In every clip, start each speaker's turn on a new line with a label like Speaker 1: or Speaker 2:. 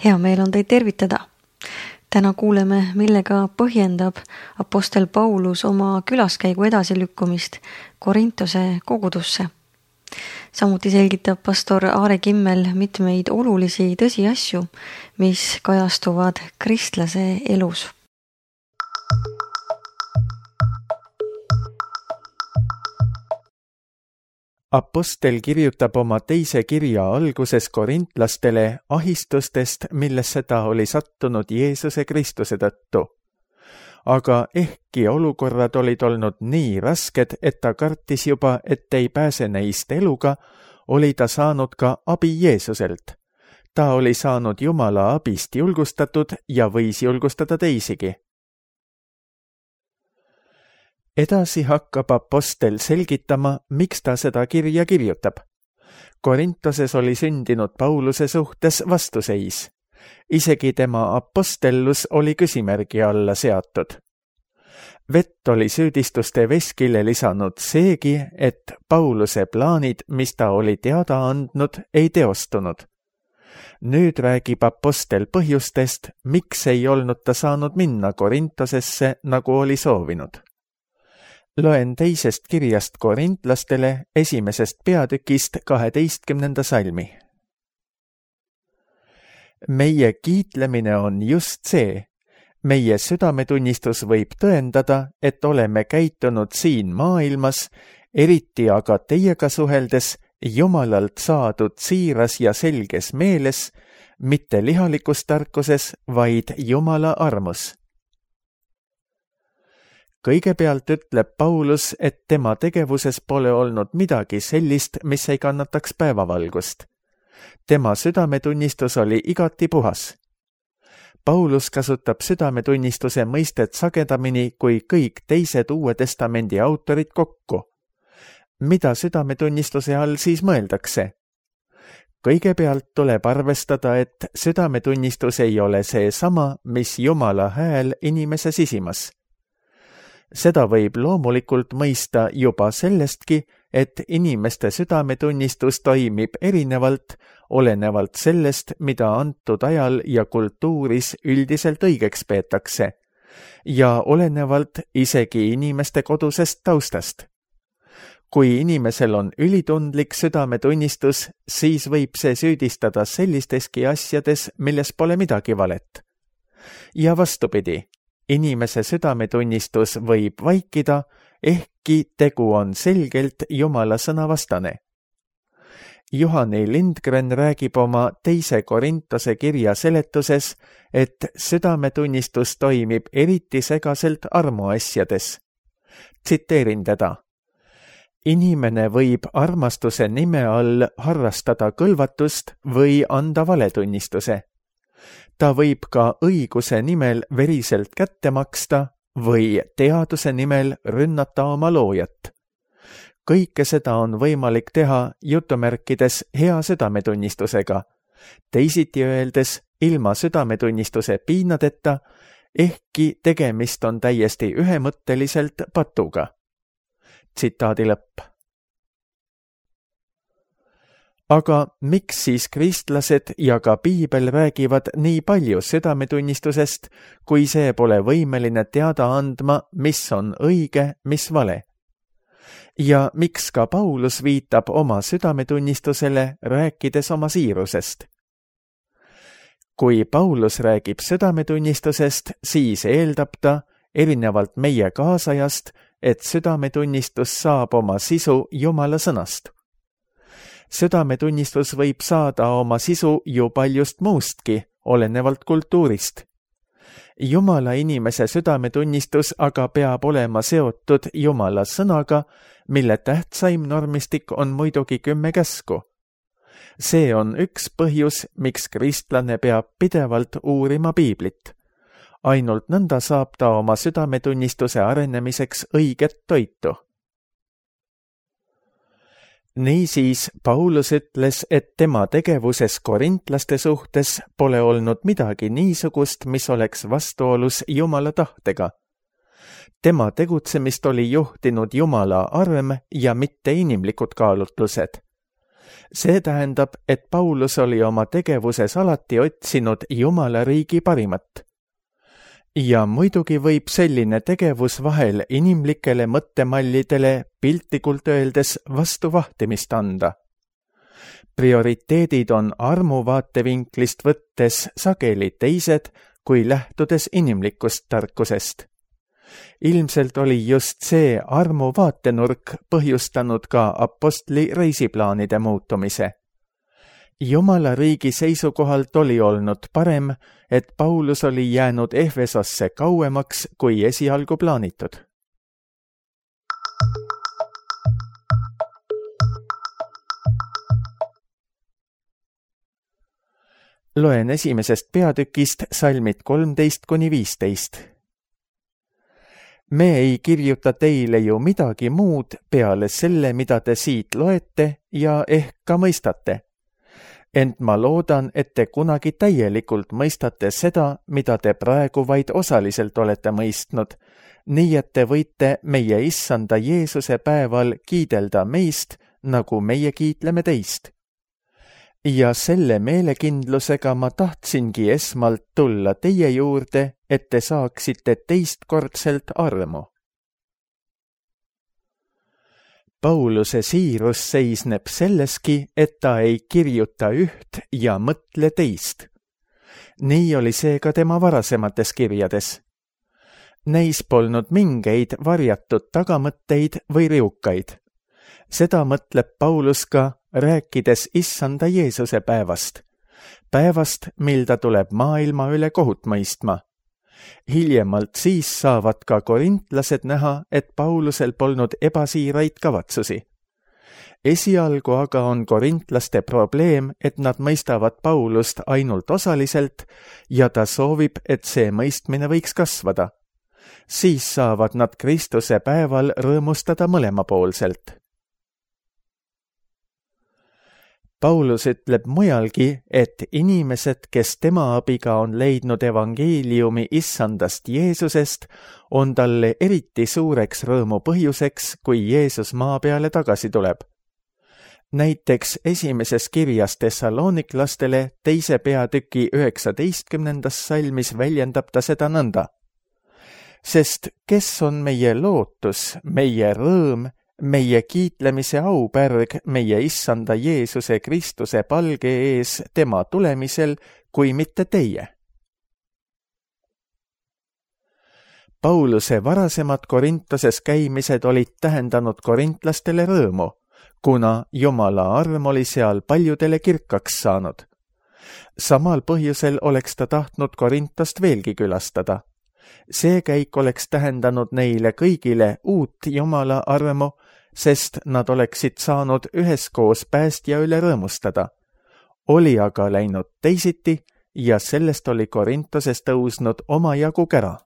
Speaker 1: Hea meel on teid tervitada. Täna kuuleme, millega põhjendab apostel Paulus oma külaskäigu edasilükkumist Korintose kogudusse. Samuti selgitab pastor Aare Kimmel mitmeid olulisi tõsiasju, mis kajastuvad kristlase elus.
Speaker 2: Apostel kirjutab oma teise kirja alguses korintlastele ahistustest, millesse ta oli sattunud Jeesuse Kristuse tõttu. Aga ehkki olukorrad olid olnud nii rasked, et ta kartis juba, et ei pääse neist eluga, oli ta saanud ka abi Jeesuselt. Ta oli saanud Jumala abist julgustatud ja võis julgustada teisigi. Edasi hakkab apostel selgitama, miks ta seda kirja kirjutab. Korintoses oli sündinud Pauluse suhtes vastuseis. Isegi tema apostellus oli küsimärgi alla seatud. Vett oli süüdistuste veskile lisanud seegi, et Pauluse plaanid, mis ta oli teada andnud, ei teostunud. Nüüd räägib apostel põhjustest, miks ei olnud ta saanud minna Korintosesse, nagu oli soovinud. Loen teisest kirjast korintlastele 1. peatükist 12. salmi. Meie kiitlemine on just see. Meie südametunnistus võib tõendada, et oleme käitunud siin maailmas, eriti aga teiega suheldes, Jumalalt saadud siiras ja selges meeles, mitte lihalikus tarkuses, vaid Jumala armus. Kõigepealt ütleb Paulus, et tema tegevuses pole olnud midagi sellist, mis ei kannataks päevavalgust. Tema südametunnistus oli igati puhas. Paulus kasutab südametunnistuse mõistet sagedamini kui kõik teised Uue Testamendi autorid kokku. Mida südametunnistuse all siis mõeldakse? Kõigepealt tuleb arvestada, et südametunnistus ei ole see sama, mis Jumala hääl inimese sisimas. Seda võib loomulikult mõista juba sellestki, et inimeste südametunnistus toimib erinevalt, olenevalt sellest, mida antud ajal ja kultuuris üldiselt õigeks peetakse, ja olenevalt isegi inimeste kodusest taustast. Kui inimesel on ülitundlik südametunnistus, siis võib see süüdistada sellisteski asjades, milles pole midagi valet. Ja vastupidi. Inimese südametunnistus võib vaikida, ehkki tegu on selgelt Jumala sõna vastane. Johani Lindgren räägib oma 2. Korintose kirja seletuses, et südametunnistus toimib eriti segaselt armuasjades. Tsiteerin teda. Inimene võib armastuse nime all harrastada kõlvatust või anda valetunnistuse. Ta võib ka õiguse nimel veriselt kätte maksta või teaduse nimel rünnata oma loojat. Kõike seda on võimalik teha jutumärkides hea südametunnistusega, teisiti öeldes ilma südametunnistuse piinadeta, ehkki tegemist on täiesti ühemõtteliselt patuga. Tsitaadi lõpp. Aga miks siis kristlased ja ka Piibel räägivad nii palju südametunnistusest, kui see pole võimeline teada andma, mis on õige, mis vale? Ja miks ka Paulus viitab oma südametunnistusele, rääkides oma siirusest? Kui Paulus räägib südametunnistusest, siis eeldab ta, erinevalt meie kaasajast, et südametunnistus saab oma sisu Jumala sõnast. Südametunnistus võib saada oma sisu ju paljust muustki, olenevalt kultuurist. Jumala inimese südametunnistus aga peab olema seotud Jumala sõnaga, mille tähtsaim normistik on muidugi 10 käsku. See on üks põhjus, miks kristlane peab pidevalt uurima Piiblit. Ainult nõnda saab ta oma südametunnistuse arenemiseks õiget toitu. Niisiis, Paulus ütles, et tema tegevuses korintlaste suhtes pole olnud midagi niisugust, mis oleks vastuolus Jumala tahtega. Tema tegutsemist oli juhtinud Jumala arm ja mitte inimlikud kaalutlused. See tähendab, et Paulus oli oma tegevuses alati otsinud Jumala riigi parimat. Ja muidugi võib selline tegevus vahel inimlikele mõttemallidele piltlikult öeldes vastu vahtimist anda. Prioriteedid on armu vaatevinklist võttes sageli teised kui lähtudes inimlikust tarkusest. Ilmselt oli just see armu vaatenurk põhjustanud ka apostli reisiplaanide muutumise. Jumala riigi seisukohalt oli olnud parem, et Paulus oli jäänud Efesosse kauemaks kui esialgu plaanitud. Loen esimesest peatükist salmid 13–15. Me ei kirjuta teile ju midagi muud peale selle, mida te siit loete ja ehk ka mõistate. Ent ma loodan, et te kunagi täielikult mõistate seda, mida te praegu vaid osaliselt olete mõistnud, nii et te võite meie issanda Jeesuse päeval kiidelda meist, nagu meie kiitleme teist. Ja selle meelekindlusega ma tahtsingi esmalt tulla teie juurde, et te saaksite teistkordselt armu. Pauluse siirus seisneb selleski, et ta ei kirjuta üht ja mõtle teist. Nii oli see ka tema varasemates kirjades. Neis polnud mingeid varjatud tagamõtteid või riukaid. Seda mõtleb Paulus ka, rääkides issanda Jeesuse päevast. Päevast, mil ta tuleb maailma üle kohut mõistma. Hiljemalt siis saavad ka korintlased näha, et Paulusel polnud ebasiiraid kavatsusi. Esialgu aga on korintlaste probleem, et nad mõistavad Paulust ainult osaliselt ja ta soovib, et see mõistmine võiks kasvada. Siis saavad nad Kristuse päeval rõõmustada mõlemapoolselt. Paulus ütleb mujalgi, et inimesed, kes tema abiga on leidnud evangeeliumi issandast Jeesusest, on talle eriti suureks rõõmu põhjuseks, kui Jeesus maa peale tagasi tuleb. Näiteks esimeses kirjas Thessaloniklastele 2. peatüki 19. salmis väljendab ta seda nõnda. Sest kes on meie lootus, meie rõõm, meie kiitlemise aupärg meie issanda Jeesuse Kristuse palge ees tema tulemisel, kui mitte teie. Pauluse varasemad Korintoses käimised olid tähendanud korintlastele rõõmu, kuna Jumala arm oli seal paljudele kirkaks saanud. Samal põhjusel oleks ta tahtnud Korintost veelgi külastada. See käik oleks tähendanud neile kõigile uut Jumala armu, sest nad oleksid saanud üheskoos päästja üle rõõmustada. Oli aga läinud teisiti ja sellest oli Korintoses tõusnud omajagu kära.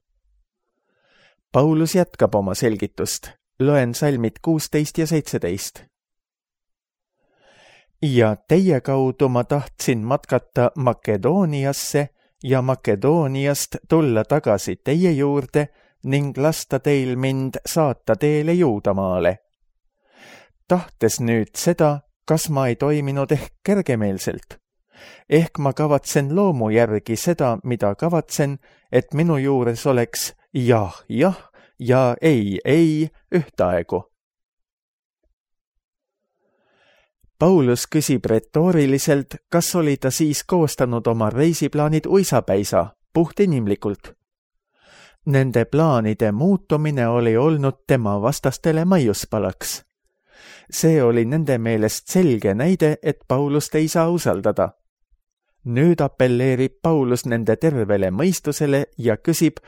Speaker 2: Paulus jätkab oma selgitust. Loen salmid 16 ja 17. Ja teie kaudu ma tahtsin matkata Makedooniasse ja Makedooniast tulla tagasi teie juurde ning lasta teil mind saata teele Juudamaale. Tahtes nüüd seda, kas ma ei toiminud ehk kergemeelselt? Ehk ma kavatsen loomu järgi seda, mida kavatsen, et minu juures oleks jah ja ei ühtaegu. Paulus küsib retooriliselt, kas oli ta siis koostanud oma reisiplaanid uisapäisa, puhtinimlikult. Nende plaanide muutumine oli olnud tema vastastele maiuspalaks. See oli nende meelest selge näide, et Paulust ei saa usaldada. Nüüd appelleerib Paulus nende tervele mõistusele ja küsib,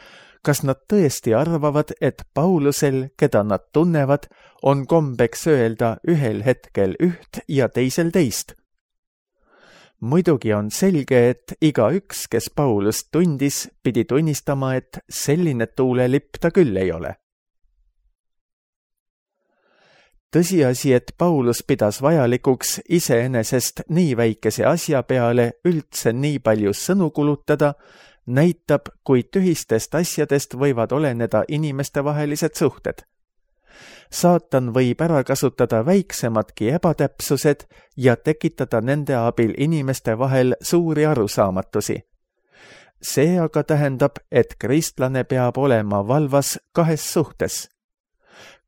Speaker 2: kas nad tõesti arvavad, et Paulusel, keda nad tunnevad, on kombeks öelda ühel hetkel üht ja teisel teist. Muidugi on selge, et igaüks, kes Paulust tundis, pidi tunnistama, et selline tuulelipp ta küll ei ole. Tõsiasi, et Paulus pidas vajalikuks iseenesest nii väikese asja peale üldse nii palju sõnu kulutada, näitab, kui tühistest asjadest võivad oleneda inimestevahelised suhted. Saatan võib ära kasutada väiksemadki ebatäpsused ja tekitada nende abil inimeste vahel suuri arusaamatusi. See aga tähendab, et kristlane peab olema valvas kahes suhtes.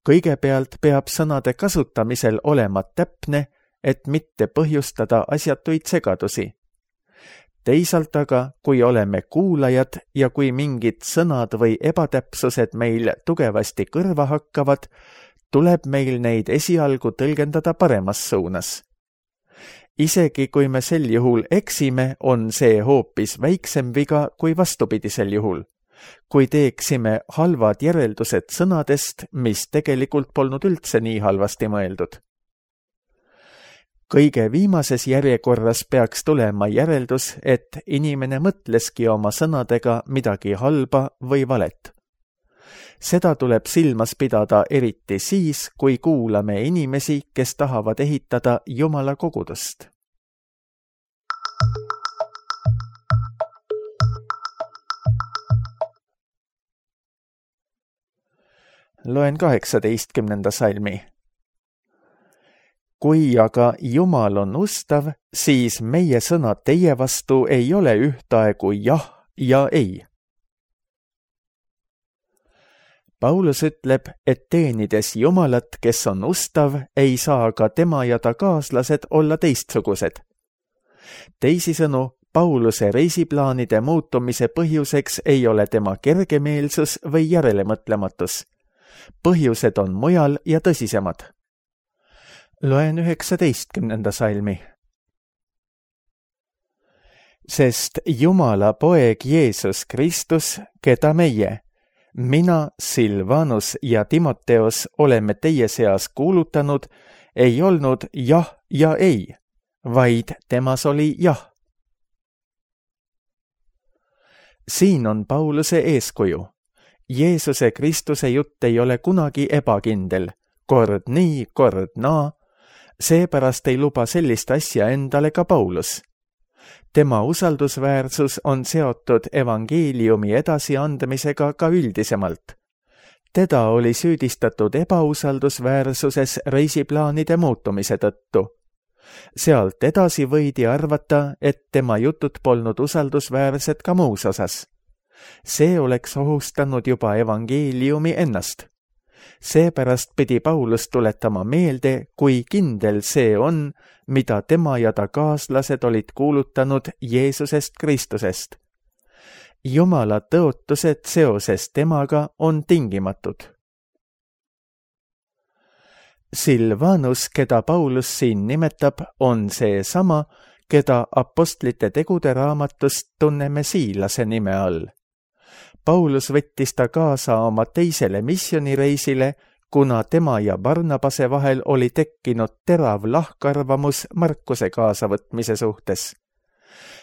Speaker 2: Kõigepealt peab sõnade kasutamisel olema täpne, et mitte põhjustada asjatuid segadusi. Teisalt aga, kui oleme kuulajad ja kui mingid sõnad või ebatäpsused meil tugevasti kõrva hakkavad, tuleb meil neid esialgu tõlgendada paremas suunas. Isegi kui me sel juhul eksime, on see hoopis väiksem viga kui vastupidisel juhul, kui teeksime halvad järeldused sõnadest, mis tegelikult polnud üldse nii halvasti mõeldud. Kõige viimases järjekorras peaks tulema järeldus, et inimene mõtleski oma sõnadega midagi halba või valet. Seda tuleb silmas pidada eriti siis, kui kuulame inimesi, kes tahavad ehitada Jumala kogudust. Loen 18. salmi. Kui aga Jumal on ustav, siis meie sõnad teie vastu ei ole ühtaegu jah ja ei. Paulus ütleb, et teenides Jumalat, kes on ustav, ei saa ka tema ja ta kaaslased olla teistsugused. Teisisõnu, Pauluse reisiplaanide muutumise põhjuseks ei ole tema kergemeelsus või järelemõtlematus. Põhjused on mujal ja tõsisemad. Loen 19. salmi. Sest Jumala poeg Jeesus Kristus, keda meie, mina, Silvanus ja Timoteos oleme teie seas kuulutanud, ei olnud jah ja ei, vaid temas oli jah. Siin on Pauluse eeskuju. Jeesuse Kristuse jutt ei ole kunagi ebakindel, kord nii, kord naa, seepärast ei luba sellist asja endale ka Paulus. Tema usaldusväärsus on seotud evangeeliumi edasiandmisega ka üldisemalt. Teda oli süüdistatud ebausaldusväärsuses reisiplaanide muutumise tõttu. Sealt edasi võidi arvata, et tema jutud polnud usaldusväärsed ka muus osas. See oleks ohustanud juba evangeeliumi ennast. Seepärast pidi Paulus tuletama meelde, kui kindel see on, mida tema ja ta kaaslased olid kuulutanud Jeesusest Kristusest. Jumala tõotused seoses temaga on tingimatud. Silvanus, keda Paulus siin nimetab, on see sama, keda apostlite tegude raamatust tunneme Siilase nime all. Paulus võttis ta kaasa oma teisele missioonireisile, kuna tema ja Barnabase vahel oli tekkinud terav lahkarvamus Markuse kaasavõtmise suhtes.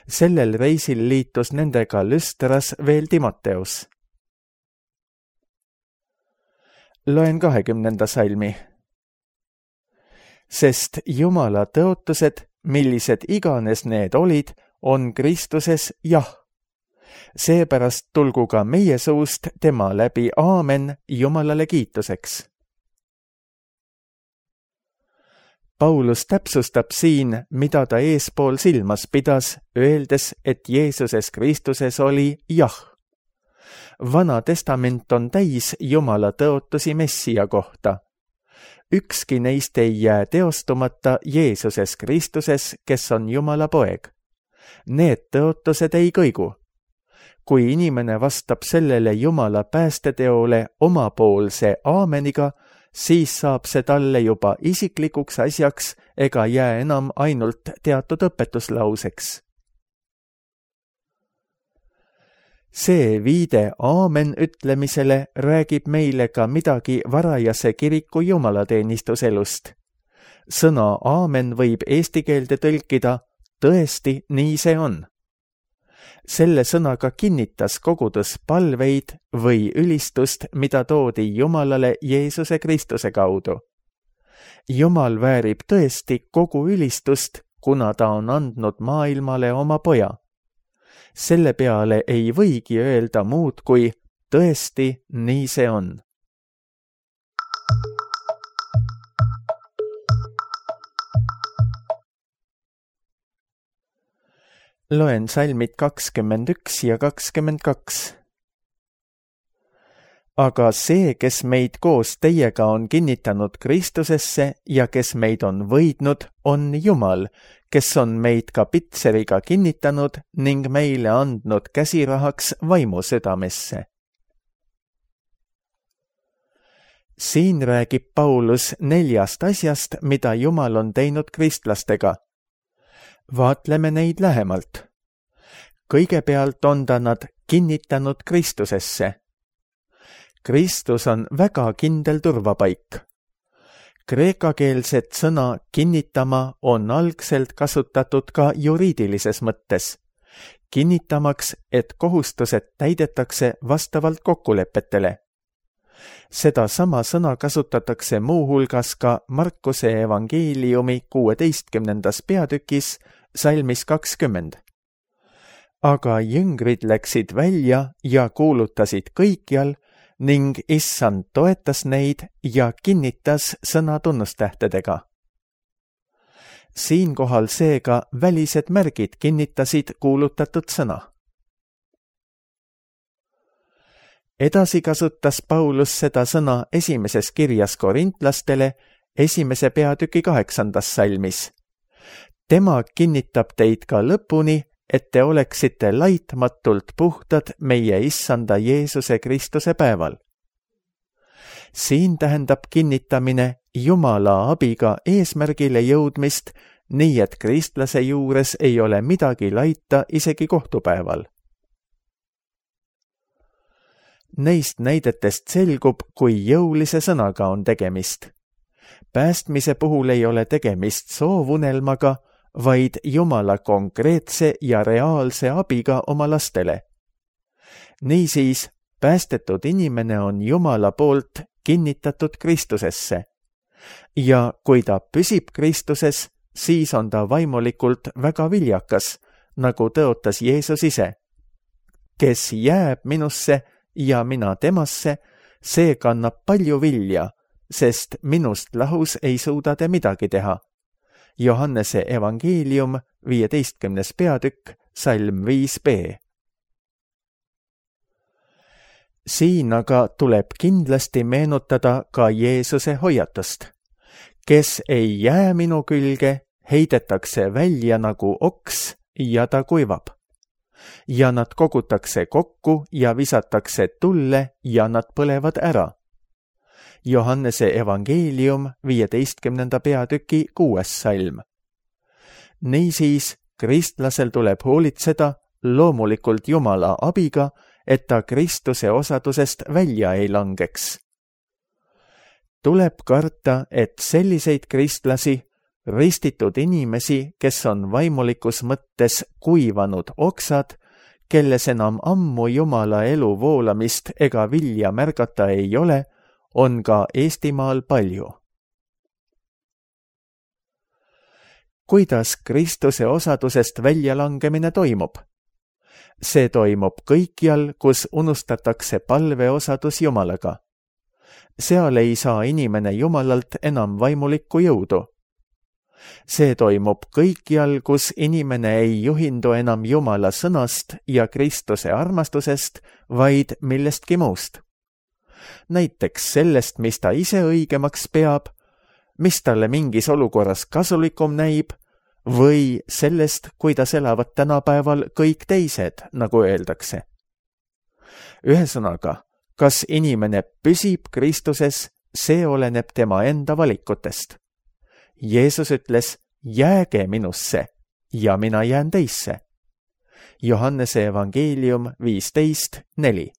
Speaker 2: Sellel reisil liitus nendega Lüstras veel Timoteus. Loen 20. salmi. Sest Jumala tõotused, millised iganes need olid, on Kristuses jah. Seepärast tulgu ka meie suust tema läbi aamen Jumalale kiituseks. Paulus täpsustab siin, mida ta eespool silmas pidas, öeldes, et Jeesuses Kristuses oli jah. Vana testament on täis Jumala tõotusi Messia kohta. Ükski neist ei jää teostumata Jeesuses Kristuses, kes on Jumala poeg. Need tõotused ei kõigu. Kui inimene vastab sellele Jumala päästeteole omapoolse aameniga, siis saab see talle juba isiklikuks asjaks ega jää enam ainult teatud õpetuslauseks. See viide aamen ütlemisele räägib meile ka midagi varajase kiriku jumalateenistuselust. Sõna aamen võib eesti keelde tõlkida tõesti nii see on. Selle sõnaga kinnitas kogudus palveid või ülistust, mida toodi Jumalale Jeesuse Kristuse kaudu. Jumal väärib tõesti kogu ülistust, kuna ta on andnud maailmale oma poja. Selle peale ei võigi öelda muud kui tõesti nii see on. Loen salmid 21 ja 22. Aga see, kes meid koos teiega on kinnitanud Kristusesse ja kes meid on võidnud, on Jumal, kes on meid ka pitseriga kinnitanud ning meile andnud käsirahaks vaimu südamesse. Siin räägib Paulus 4 asjast, mida Jumal on teinud kristlastega. Vaatleme neid lähemalt. Kõigepealt on ta nad kinnitanud Kristusesse. Kristus on väga kindel turvapaik. Kreekakeelset sõna kinnitama on algselt kasutatud ka juriidilises mõttes, kinnitamaks, et kohustused täidetakse vastavalt kokkulepetele. Seda sama sõna kasutatakse muuhulgas ka Markuse evangeeliumi 16. peatükis salmis 20. Aga jüngrid läksid välja ja kuulutasid kõikjal ning Issand toetas neid ja kinnitas sõna tunnustähtedega. Siinkohal seega välised märgid kinnitasid kuulutatud sõna. Edasi kasutas Paulus seda sõna esimeses kirjas korintlastele 1. peatüki 8. salmis. Tema kinnitab teid ka lõpuni, et te oleksite laitmatult puhtad meie Issanda Jeesuse Kristuse päeval. Siin tähendab kinnitamine Jumala abiga eesmärgile jõudmist, nii et kristlase juures ei ole midagi laita isegi kohtupäeval. Neist näidetest selgub, kui jõulise sõnaga on tegemist. Päästmise puhul ei ole tegemist soovunelmaga, vaid Jumala konkreetse ja reaalse abiga oma lastele. Niisiis, päästetud inimene on Jumala poolt kinnitatud Kristusesse. Ja kui ta püsib Kristuses, siis on ta vaimulikult väga viljakas, nagu tõotas Jeesus ise. Kes jääb minusse ja mina temasse, see kannab palju vilja, sest minust lahus ei suuda te midagi teha. Johannese evangeelium 15. peatükk, salm 5b. Siin aga tuleb kindlasti meenutada ka Jeesuse hoiatust. Kes ei jää minu külge, heidetakse välja nagu oks ja ta kuivab. Ja nad kogutakse kokku ja visatakse tulle ja nad põlevad ära. Johannese evangeelium 15. peatüki 6. salm. Niisiis, kristlasel tuleb hoolitseda loomulikult Jumala abiga, et ta Kristuse osadusest välja ei langeks. Tuleb karta, et selliseid kristlasi, ristitud inimesi, kes on vaimulikus mõttes kuivanud oksad, kelles enam ammu Jumala elu voolamist ega vilja märgata ei ole, on ka Eestimaal palju. Kuidas Kristuse osadusest väljalangemine toimub? See toimub kõikjal, kus unustatakse palveosadus Jumalaga. Seal ei saa inimene Jumalalt enam vaimulikku jõudu. See toimub kõikjal, kus inimene ei juhindu enam Jumala sõnast ja Kristuse armastusest, vaid millestki muust. Näiteks sellest, mis ta ise õigemaks peab, mis talle mingis olukorras kasulikum näib, või sellest, kuidas elavad tänapäeval kõik teised, nagu öeldakse. Ühesõnaga, kas inimene püsib Kristuses, see oleneb tema enda valikutest. Jeesus ütles, jääge minusse ja mina jään teisse. Johannese evangeelium 15:4.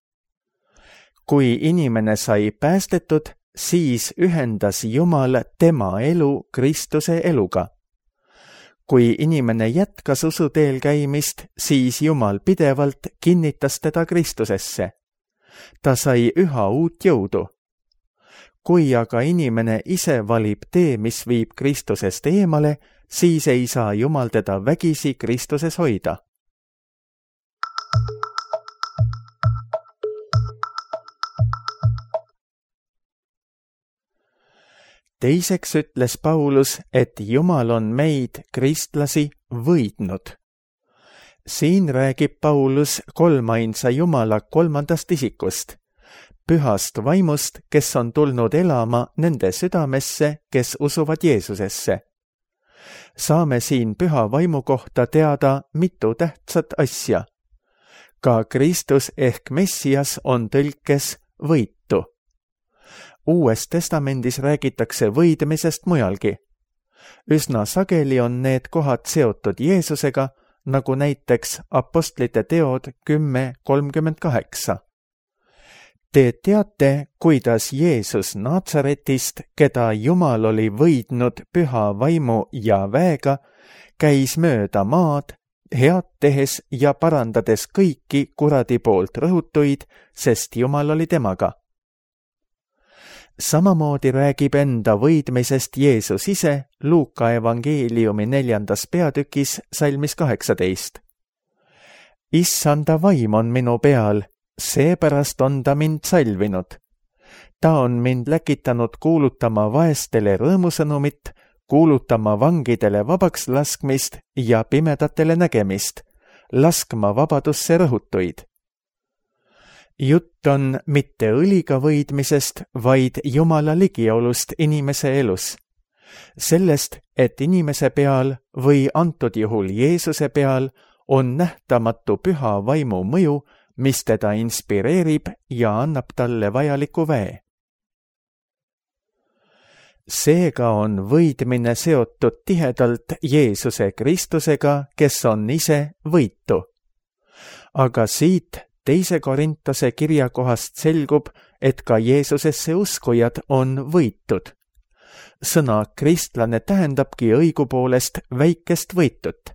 Speaker 2: Kui inimene sai päästetud, siis ühendas Jumal tema elu Kristuse eluga. Kui inimene jätkas usuteel käimist, siis Jumal pidevalt kinnitas teda Kristusesse. Ta sai üha uut jõudu. Kui aga inimene ise valib tee, mis viib Kristusest eemale, siis ei saa Jumal teda vägisi Kristuses hoida. Teiseks ütles Paulus, et Jumal on meid, kristlasi, võidnud. Siin räägib Paulus kolmainsa Jumala kolmandast isikust, pühast vaimust, kes on tulnud elama nende südamesse, kes usuvad Jeesusesse. Saame siin püha vaimu kohta teada mitu tähtsat asja. Ka Kristus ehk Messias on tõlkes võitu. Uues testamendis räägitakse võidmisest mujalgi. Üsna sageli on need kohad seotud Jeesusega, nagu näiteks Apostlite teod 10:38. Te teate, kuidas Jeesus Naatsaretist, keda Jumal oli võidnud püha vaimu ja väega, käis mööda maad, head tehes ja parandades kõiki kuradi poolt rõhutuid, sest Jumal oli temaga. Samamoodi räägib enda võidmisest Jeesus ise Luuka evangeeliumi 4. peatükis salmis 18. Issanda vaim on minu peal, seepärast on ta mind salvinud. Ta on mind läkitanud kuulutama vaestele rõõmusõnumit, kuulutama vangidele vabaks laskmist ja pimedatele nägemist, laskma vabadusse rõhutuid. Jutt on mitte õliga võidmisest, vaid Jumala ligiolust inimese elus. Sellest, et inimese peal või antud juhul Jeesuse peal on nähtamatu püha vaimu mõju, mis teda inspireerib ja annab talle vajaliku väe. Seega on võidmine seotud tihedalt Jeesuse Kristusega, kes on ise võitu. Aga siit 2. Korintuse kirja kohast selgub, et ka Jeesusesse uskujad on võitud. Sõna kristlane tähendabki õigupoolest väikest võitut.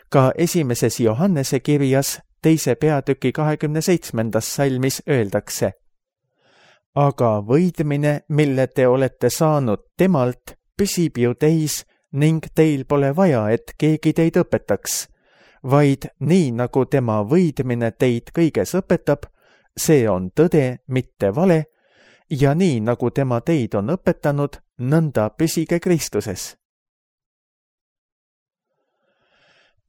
Speaker 2: Ka 1. Johannese kirjas 2. peatüki 27. salmis öeldakse: aga võidmine, mille te olete saanud temalt, püsib ju teis ning teil pole vaja, et keegi teid õpetaks, vaid nii nagu tema võidmine teid kõiges õpetab, see on tõde, mitte vale, ja nii nagu tema teid on õpetanud, nõnda püsige Kristuses.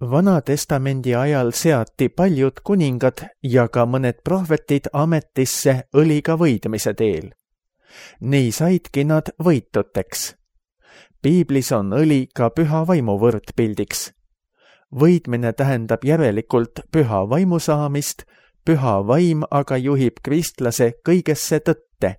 Speaker 2: Vana-testamendi ajal seati paljud kuningad ja ka mõned prohvetid ametisse õliga võidmise teel. Nii saidki nad võituteks. Piiblis on õli ka püha vaimu võrdpildiks. Võidmine tähendab järelikult püha vaimu saamist, püha vaim aga juhib kristlase kõigesse tõtte.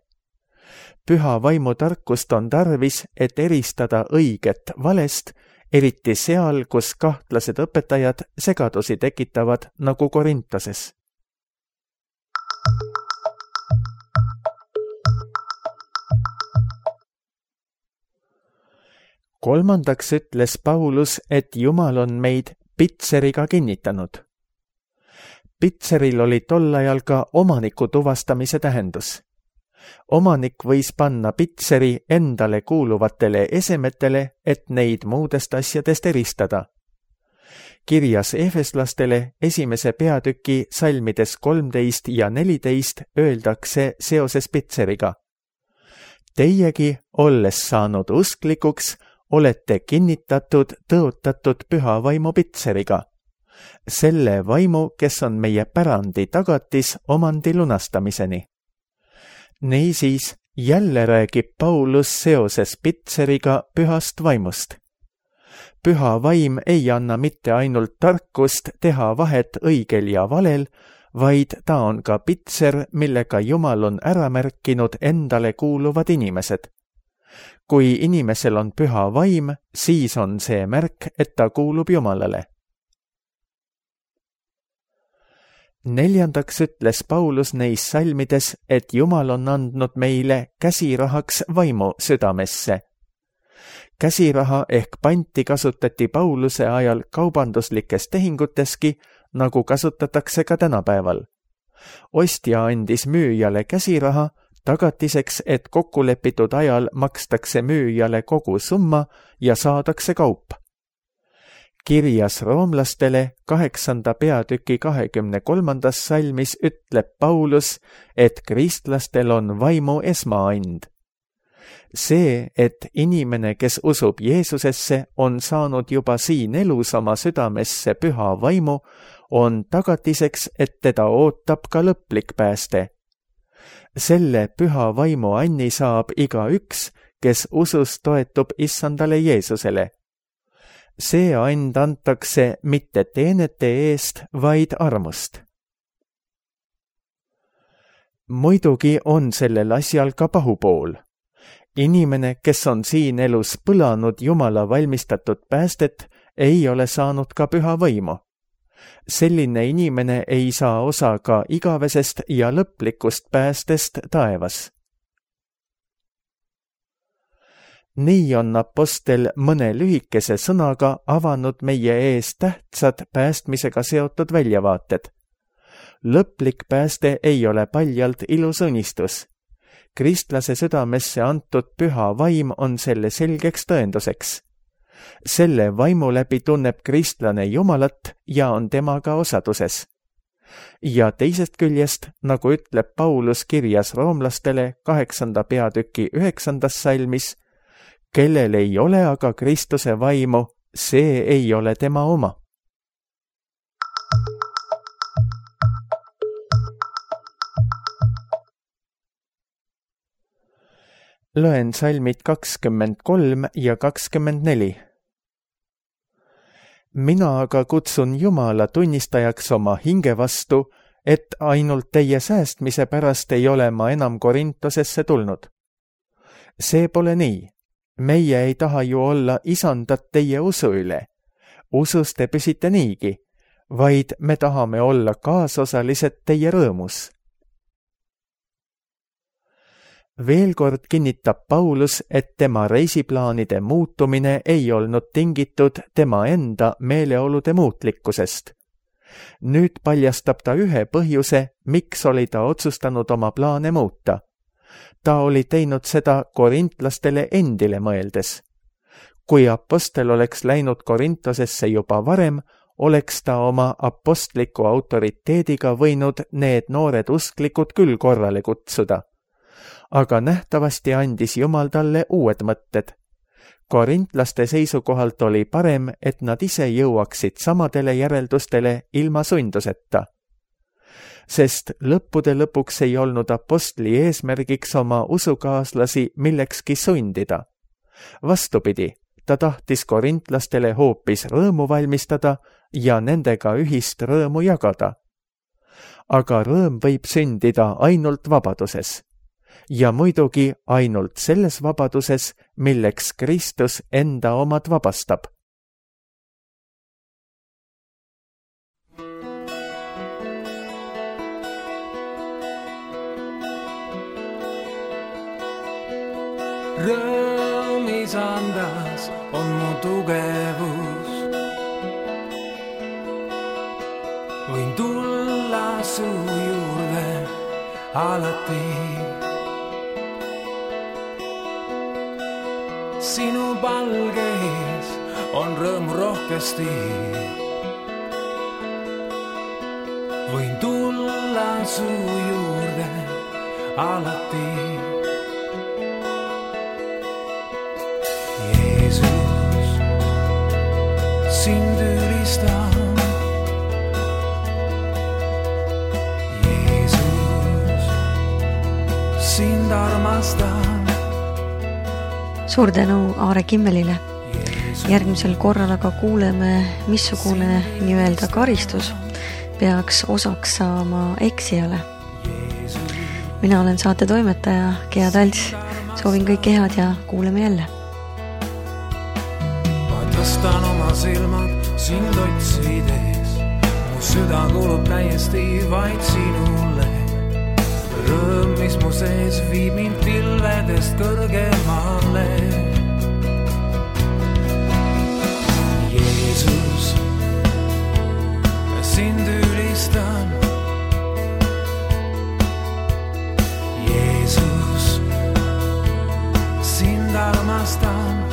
Speaker 2: Püha vaimu tarkust on tarvis, et eristada õiget valest, eriti seal, kus kahtlased õpetajad segadusi tekitavad, nagu Korintoses. Kolmandaks ütles Paulus, et Jumal on meid pitseriga kinnitanud. Pitseril oli tol ajal ka omaniku tuvastamise tähendus. Omanik võis panna pitseri endale kuuluvatele esemetele, et neid muudest asjadest eristada. Kirjas Efeslastele 1. peatüki salmides 13 ja 14 öeldakse seoses pitseriga: Teiegi, olles saanud usklikuks, olete kinnitatud, tõotatud püha vaimu pitseriga. Selle vaimu, kes on meie pärandi tagatis omandi lunastamiseni. Niisiis, jälle räägib Paulus seoses pitseriga pühast vaimust. Püha vaim ei anna mitte ainult tarkust teha vahet õigel ja valel, vaid ta on ka pitser, millega Jumal on ära märkinud endale kuuluvad inimesed. Kui inimesel on püha vaim, siis on see märk, et ta kuulub Jumalale. Neljandaks ütles Paulus neis salmides, et Jumal on andnud meile käsirahaks vaimu südamesse. Käsiraha ehk panti kasutati Pauluse ajal kaubanduslikes tehinguteski, nagu kasutatakse ka tänapäeval. Ostja andis müüjale käsiraha, tagatiseks, et kokkulepitud ajal makstakse müüjale kogu summa ja saadakse kaup. Kirjas roomlastele 8. peatüki 23. salmis ütleb Paulus, et kristlastel on vaimu esmaand. See, et inimene, kes usub Jeesusesse, on saanud juba siin elus oma südamesse püha vaimu, on tagatiseks, et teda ootab ka lõplik pääste. Selle püha vaimu anni saab igaüks, kes usus toetub issandale Jeesusele. See and antakse mitte teenete eest, vaid armust. Muidugi on sellel asjal ka pahupool. Inimene, kes on siin elus põlanud Jumala valmistatud päästet, ei ole saanud ka püha võimu. Selline inimene ei saa osa ka igavesest ja lõplikust päästest taevas. Nii on apostel mõne lühikese sõnaga avanud meie ees tähtsad päästmisega seotud väljavaated. Lõplik pääste ei ole paljalt ilus unistus. Kristlase südamesse antud püha vaim on selle selgeks tõenduseks. Selle vaimu läbi tunneb kristlane Jumalat ja on temaga osaduses. Ja teisest küljest, nagu ütleb Paulus kirjas roomlastele 8. peatüki 9. salmis, kellel ei ole aga Kristuse vaimu, see ei ole tema oma. Loen salmid 23 ja 24. Mina aga kutsun Jumala tunnistajaks oma hinge vastu, et ainult teie säästmise pärast ei ole ma enam Korintosesse tulnud. See pole nii. Meie ei taha ju olla isandat teie usu üle. Usus te püsite niigi, vaid me tahame olla kaasosalised teie rõõmus. Veel kord kinnitab Paulus, et tema reisiplaanide muutumine ei olnud tingitud tema enda meeleolude muutlikkusest. Nüüd paljastab ta ühe põhjuse, miks oli ta otsustanud oma plaane muuta. Ta oli teinud seda korintlastele endile mõeldes. Kui apostel oleks läinud Korintosesse juba varem, oleks ta oma apostliku autoriteediga võinud need noored usklikud küll korrale kutsuda. Aga nähtavasti andis Jumal talle uued mõtted. Korintlaste seisukohalt oli parem, et nad ise jõuaksid samadele järeldustele ilma sunduseta. Sest lõppude lõpuks ei olnud apostli eesmärgiks oma usukaaslasi millekski sundida. Vastupidi, ta tahtis korintlastele hoopis rõõmu valmistada ja nendega ühist rõõmu jagada. Aga rõõm võib sündida ainult vabaduses. Ja muidugi ainult selles vabaduses, milleks Kristus enda omad vabastab.
Speaker 3: Rõõm isandas on mu tugevus. Võin tulla su juurde alati. Sinu palges on rõõmu rohkesti. Võin tulla su juurde alati. Jeesus, sind ülistan. Jeesus, sind armastan.
Speaker 1: Suur tänu Aare Kimmelile. Järgmisel korral aga kuuleme, missugune nii-öelda karistus peaks osaks saama eksijale. Mina olen saate toimetaja Gea Talts. Soovin kõike head ja kuuleme jälle.
Speaker 3: Ma tõstan oma silmad sind otsides. Mu süda kuulub täiesti vaid sinule. Rõõm, mis mu sees viib mind pilvedest kõrgemale. Jeesus, sind ülistan. Jeesus, sind armastan.